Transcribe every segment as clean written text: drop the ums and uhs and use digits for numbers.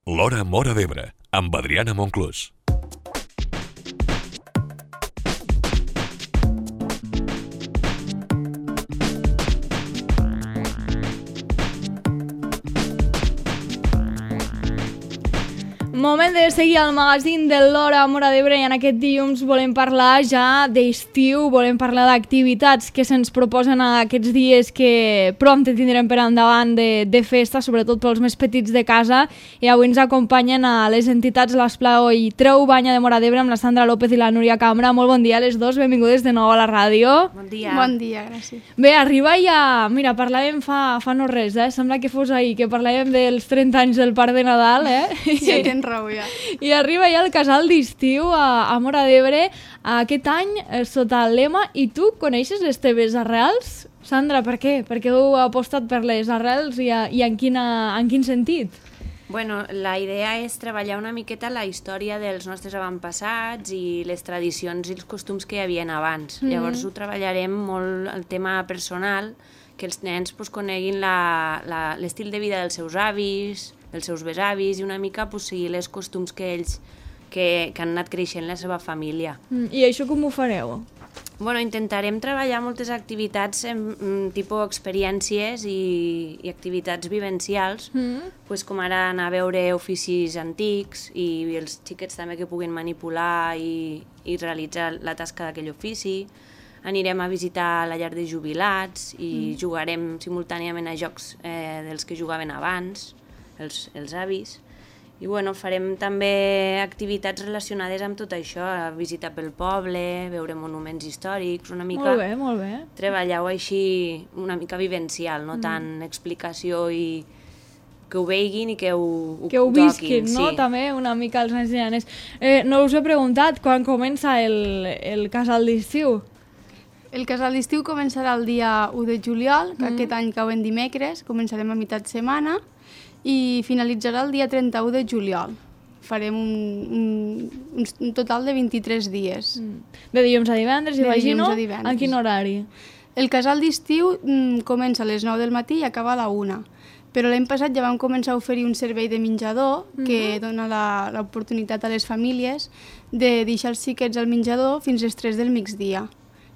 L'Hora Móra d'Ebre, amb Adriana Monclús. Moment de seguir al magazín de l'Hora Móra d'Ebre i en aquest dilluns volem parlar ja d'estiu, volem parlar d'activitats que se'ns proposen aquests dies que prompte tindrem per endavant de festa, sobretot pels més petits de casa, i avui ens acompanyen a les entitats l'Esplao i Treu Banya de Móra d'Ebre amb la Sandra López i la Núria Cambra. Molt bon dia a les dos, benvingudes de nou a la ràdio. Bon dia. Bon dia, gràcies. Bé, arriba ja... Mira, parlàvem fa no res, sembla que fos ahir, que parlàvem dels 30 anys del Parc de Nadal, Sí, tens raó, ja. I arriba ja el casal d'estiu a Móra d'Ebre aquest any sota el lema "I tu coneixes les teves arrels?" Sandra, per què? Per què heu apostat per les arrels i en quin sentit? Bueno, la idea és treballar una miqueta la història dels nostres avantpassats i les tradicions i els costums que hi havia abans. Llavors ho treballarem molt el tema personal, que els nens coneguin l'estil de vida dels seus avis, dels seus besavis i una mica seguir els costums que ells que han anat creixent la seva família. I això com ho fareu? Bueno, intentarem treballar moltes activitats tipus experiències i activitats vivencials, com ara anar a veure oficis antics i els xiquets també que puguin manipular i realitzar la tasca d'aquell ofici. Anirem a visitar la llar de jubilats i jugarem simultàniament a jocs dels que jugaven abans, els avis. I farem també activitats relacionades amb tot això, visitar pel poble, veure monuments històrics, una mica... Molt bé. Treballar-ho així una mica vivencial, no tant explicació i que ho veiguin i que ho visquin, toquin, no? Sí. També una mica els nens i nenes. No us he preguntat quan comença el casal d'estiu. El casal d'estiu començarà el dia 1 de juliol, que aquest any cau en dimecres, començarem a meitat setmana, i finalitzarà el dia 31 de juliol. Farem un total de 23 dies. De dilluns a divendres, imagino. dilluns a divendres. En quin horari? El casal d'estiu comença a les 9 del matí i acaba a la 1. Però l'any passat ja vam començar a oferir un servei de menjador que dona l'oportunitat a les famílies de deixar els xiquets al menjador fins a les 3 del migdia.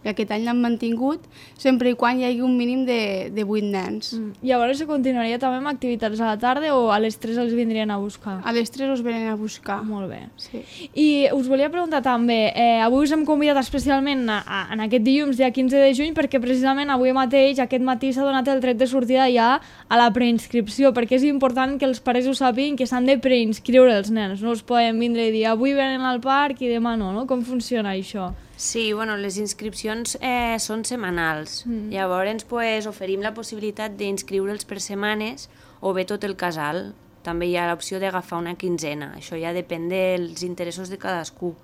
I aquest any l'han mantingut sempre i quan hi hagi un mínim de 8 nens. Llavors se continuaria també amb activitats a la tarda o a les 3 els vindrien a buscar? A les 3 us venen a buscar. Molt bé. Sí. I us volia preguntar també, avui us hem convidat especialment en aquest dilluns, dia 15 de juny, perquè precisament avui mateix, aquest matí, s'ha donat el tret de sortida ja a la preinscripció, perquè és important que els pares ho sàpiguen que s'han de preinscriure els nens, no us poden vindre i dir avui venen al parc i demà no? Com funciona això? Sí, les inscripcions són setmanals. Llavors oferim la possibilitat d'inscriure'ls per setmanes o bé tot el casal. També hi ha l'opció d'agafar una quinzena. Això ja depèn dels interessos de cadascú.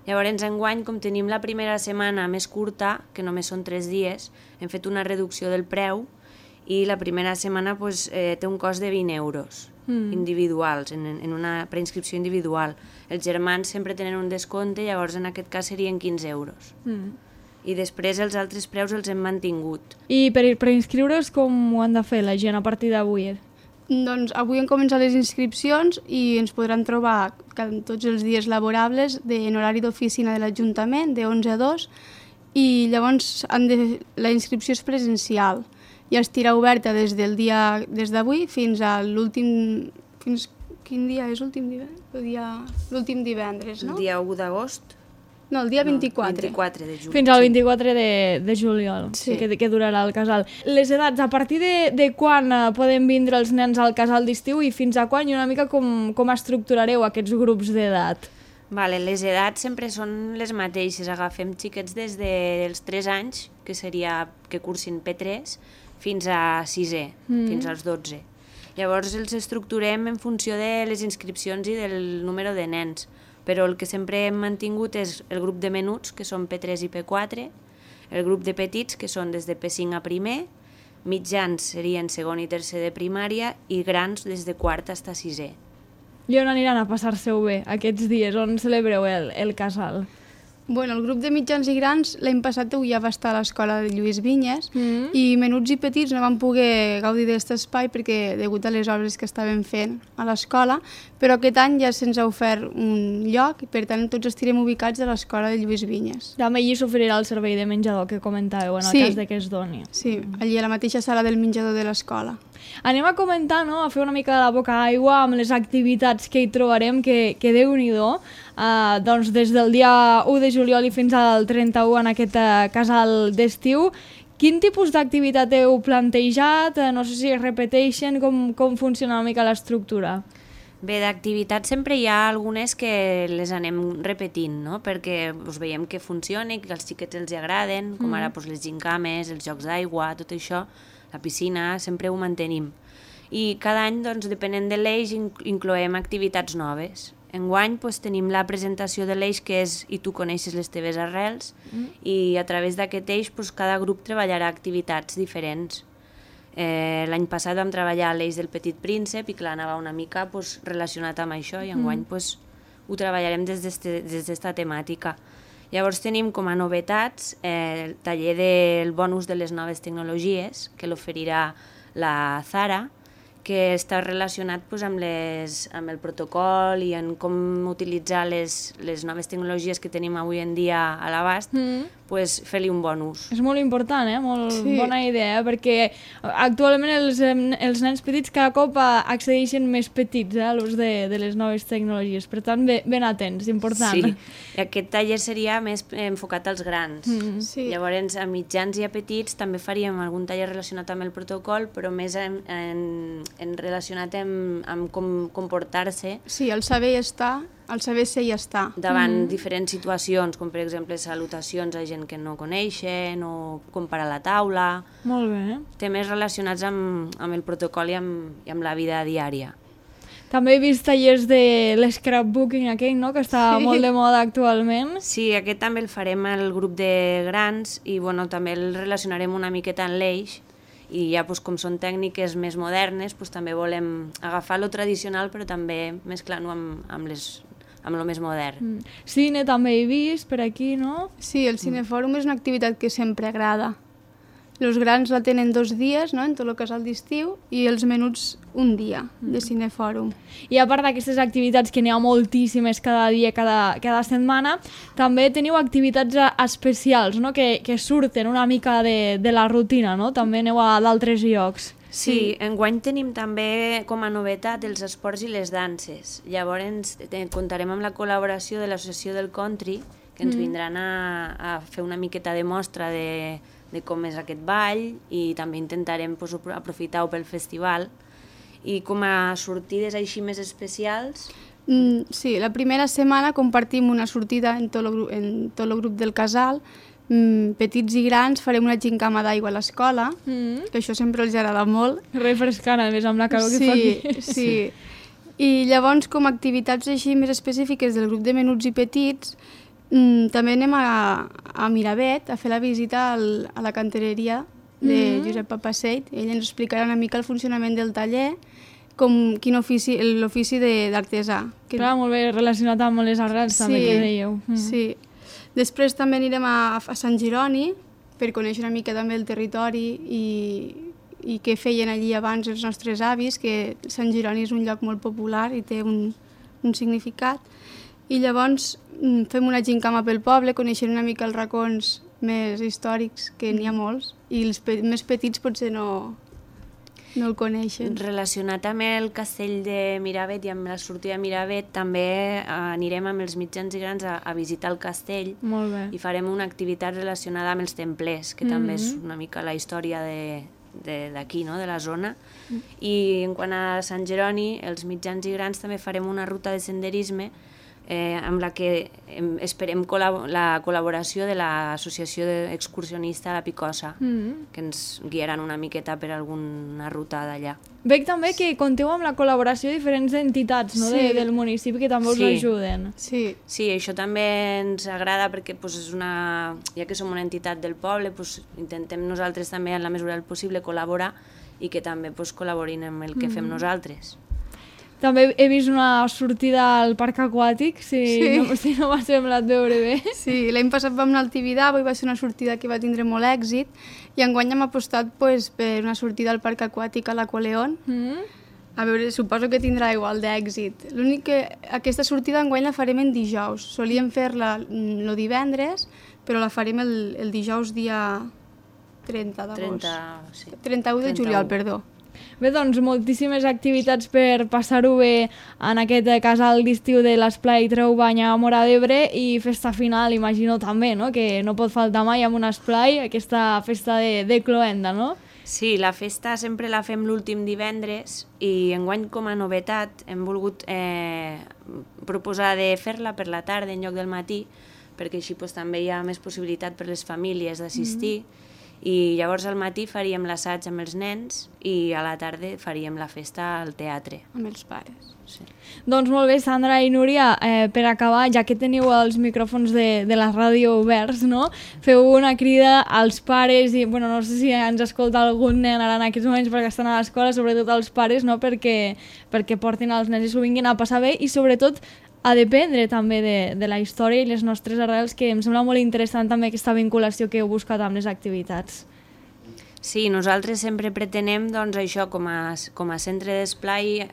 Llavors, enguany, com tenim la primera setmana més curta, que només són 3 dies, hem fet una reducció del preu i la primera setmana té un cost de 20 euros individuals, en una preinscripció individual. Els germans sempre tenen un descompte, llavors en aquest cas serien 15 euros. I després els altres preus els hem mantingut. I per preinscriure's com ho han de fer la gent a partir d'avui? Doncs avui han començat les inscripcions i ens podran trobar tots els dies laborables en horari d'oficina de l'Ajuntament, de 11 a 2, i llavors la inscripció és presencial. I estarà oberta des d'avui fins a l'últim... Quin dia és l'últim divendres? L'últim divendres, no? El dia 1 d'agost? No, el dia 24. 24 de juny. Fins al 24 de juliol, sí. que durarà el casal. Les edats, a partir de quan poden vindre els nens al casal d'estiu i fins a quan i una mica com estructurareu aquests grups d'edat? Les edats sempre són les mateixes. Agafem xiquets des dels 3 anys, que seria que cursin P3, fins a 6è, fins als 12. Llavors els estructurem en funció de les inscripcions i del número de nens, però el que sempre hem mantingut és el grup de menuts, que són P3 i P4, el grup de petits, que són des de P5 a primer, mitjans serien segon i tercer de primària i grans des de quart fins a 6è. I on aniran a passar-se-ho bé aquests dies? On celebreu el casal? Bueno, el grup de mitjans i grans l'any passat ja va estar a l'escola de Lluís Vinyes i menuts i petits no van poder gaudir d'aquest espai perquè degut a les obres que estaven fent a l'escola, però aquest any ja se'ns ha ofert un lloc i per tant tots estirem ubicats a l'escola de Lluís Vinyes. També allí s'oferirà el servei de menjador que comentàveu en el cas de que es doni. Sí, allí a la mateixa sala del menjador de l'escola. Anem a comentar, no?, a fer una mica de la boca aigua amb les activitats que hi trobarem, que Déu-n'hi-do. Doncs des del dia 1 de juliol i fins al 31 en aquest casal d'estiu. Quin tipus d'activitat heu plantejat? No sé si es repeteixen, com funciona una mica l'estructura? Bé, d'activitats sempre hi ha algunes que les anem repetint, no? Perquè veiem que funciona, que als xiquets els agraden, com ara les gincames, els jocs d'aigua, tot això, la piscina, sempre ho mantenim. I cada any, doncs, depenent de l'eix, incloem activitats noves. Enguany tenim la presentació de l'eix que és I tu coneixes les teves arrels i a través d'aquest eix cada grup treballarà activitats diferents. L'any passat vam treballar l'eix del Petit Príncep i clar, anava una mica relacionat amb això i enguany ho treballarem des d'esta temàtica. Llavors tenim com a novetats el taller del bonus de les noves tecnologies que l'oferirà la Zara, que està relacionat amb el protocol i en com utilitzar les noves tecnologies que tenim avui en dia a l'abast, fer-li un bonus. És molt important, molt bona idea, perquè actualment els nens petits cada cop accedeixen més petits a l'ús de les noves tecnologies, per tant, ben atents, important. Sí, aquest taller seria més enfocat als grans. Llavors, a mitjans i a petits també faríem algun taller relacionat amb el protocol, però més relacionat amb com comportar-se. Sí, el saber estar, el saber ser i estar. Davant diferents situacions, com per exemple salutacions a gent que no coneixen o comparar la taula. Molt bé. Temes relacionats amb el protocol i amb la vida diària. També he vist tallers de l'scrapbooking aquell, no?, que està molt de moda actualment. Sí, aquest també el farem al grup de grans i també el relacionarem una miqueta en l'eix i ja com són tècniques més modernes també volem agafar lo tradicional però també mesclar-ho amb lo més modern. Cine també he vist per aquí, no? Sí, el cinefòrum és una activitat que sempre agrada. Els grans la tenen 2 dies, no?, en tot el casal d'estiu, i els menuts un dia de cinefòrum. I a part d'aquestes activitats, que n'hi ha moltíssimes cada dia, cada setmana, també teniu activitats especials, no?, que surten una mica de la rutina, no? També aneu a d'altres llocs. Sí, enguany tenim també com a novetat els esports i les danses. Llavors comptarem amb la col·laboració de l'Associació del Country, que ens vindran a fer una miqueta de mostra de com és aquest ball i també intentarem aprofitar-ho pel festival. I com a sortides així més especials... Sí, la primera setmana compartim una sortida en tot el grup del casal. Petits i grans farem una gincama d'aigua a l'escola, que això sempre els agrada molt. Refrescant, a més, amb la calor que fa aquí. Sí. I llavors, com a activitats així més específiques del grup de menuts i petits, també anem a Miravet a fer la visita a la cantereria de Josep Papaseit. Ell ens explicarà una mica el funcionament del taller, l'ofici d'artesà. Clar, molt bé relacionat amb les arrels també que dèieu. Sí. Després també anirem a Sant Jeroni per conèixer una mica també el territori i què feien allí abans els nostres avis, que Sant Jeroni és un lloc molt popular i té un significat. I llavors fem una gincama pel poble, coneixent una mica els racons més històrics, que n'hi ha molts, i els més petits potser no el coneixen. Relacionat amb el castell de Miravet i amb la sortida de Miravet, també anirem amb els mitjans i grans a visitar el castell. Molt bé. I farem una activitat relacionada amb els templers, que també és una mica la història d'aquí, no?, de la zona. I en quant a Sant Jeroni, els mitjans i grans també farem una ruta de senderisme amb la que esperem la col·laboració de l'Associació Excursionista La Picosa, que ens guiaran una miqueta per alguna ruta d'allà. Veig també que compteu amb la col·laboració de diferents entitats, no?, del municipi, que també us ajuden. Sí, això també ens agrada perquè ja que som una entitat del poble, intentem nosaltres també en la mesura del possible col·laborar i que també col·laborin amb el que fem nosaltres. També he vist una sortida al parc aquàtic, si no m'ha semblat veure bé. Sí, l'any passat vam anar al Tibidabo i va ser una sortida que va tindre molt èxit i enguany hem apostat per una sortida al parc aquàtic a l'Aqualeón. A veure, suposo que tindrà igual d'èxit. L'únic que aquesta sortida enguany la farem en dijous. Solíem fer-la el divendres, però la farem el dijous dia 30 d'agost. 31 de juliol, perdó. Bé, doncs moltíssimes activitats per passar-ho bé en aquest casal d'estiu de l'Esplai Treu Banya a Móra d'Ebre i festa final, imagino també, no? Que no pot faltar mai amb un esplai, aquesta festa de cloenda, no? Sí, la festa sempre la fem l'últim divendres i enguany com a novetat hem volgut proposar de fer-la per la tarda en lloc del matí perquè així també hi ha més possibilitat per les famílies d'assistir i llavors al matí faríem l'assaig amb els nens i a la tarda faríem la festa al teatre. Amb els pares. Sí. Doncs molt bé, Sandra i Núria, per acabar, ja que teniu els micròfons de la ràdio oberts, no? Feu una crida als pares i, bueno, no sé si ens escolta algun nen ara en aquests moments perquè estan a l'escola, sobretot als pares, no? Perquè portin els nens i s'ho vinguin a passar bé i sobretot a dependre també de la història i les nostres arrels, que em sembla molt interessant també aquesta vinculació que heu buscat amb les activitats. Sí, nosaltres sempre pretenem doncs, això com a centre d'esplai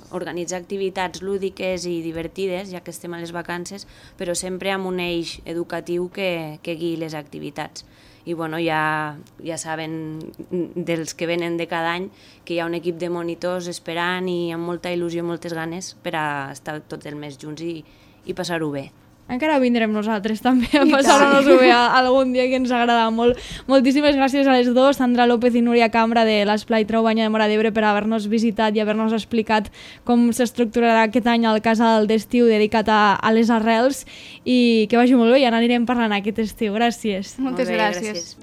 organitzar activitats lúdiques i divertides, ja que estem a les vacances, però sempre amb un eix educatiu que guiï les activitats. I bueno, ja saben dels que venen de cada any que hi ha un equip de monitors esperant i amb molta il·lusió i moltes ganes per a estar tots el mes junts i passar-ho bé. Encara vindrem nosaltres també a passar-nos-ho bé algun dia que ens agrada molt. Moltíssimes gràcies a les dues, Sandra López i Núria Cambra de l'Esplai Treu Banya de Móra d'Ebre, per haver-nos visitat i haver-nos explicat com s'estructurarà aquest any el casal d'estiu dedicat a les arrels i que vagi molt bé i n'anirem parlant aquest estiu. Gràcies. Moltes gràcies.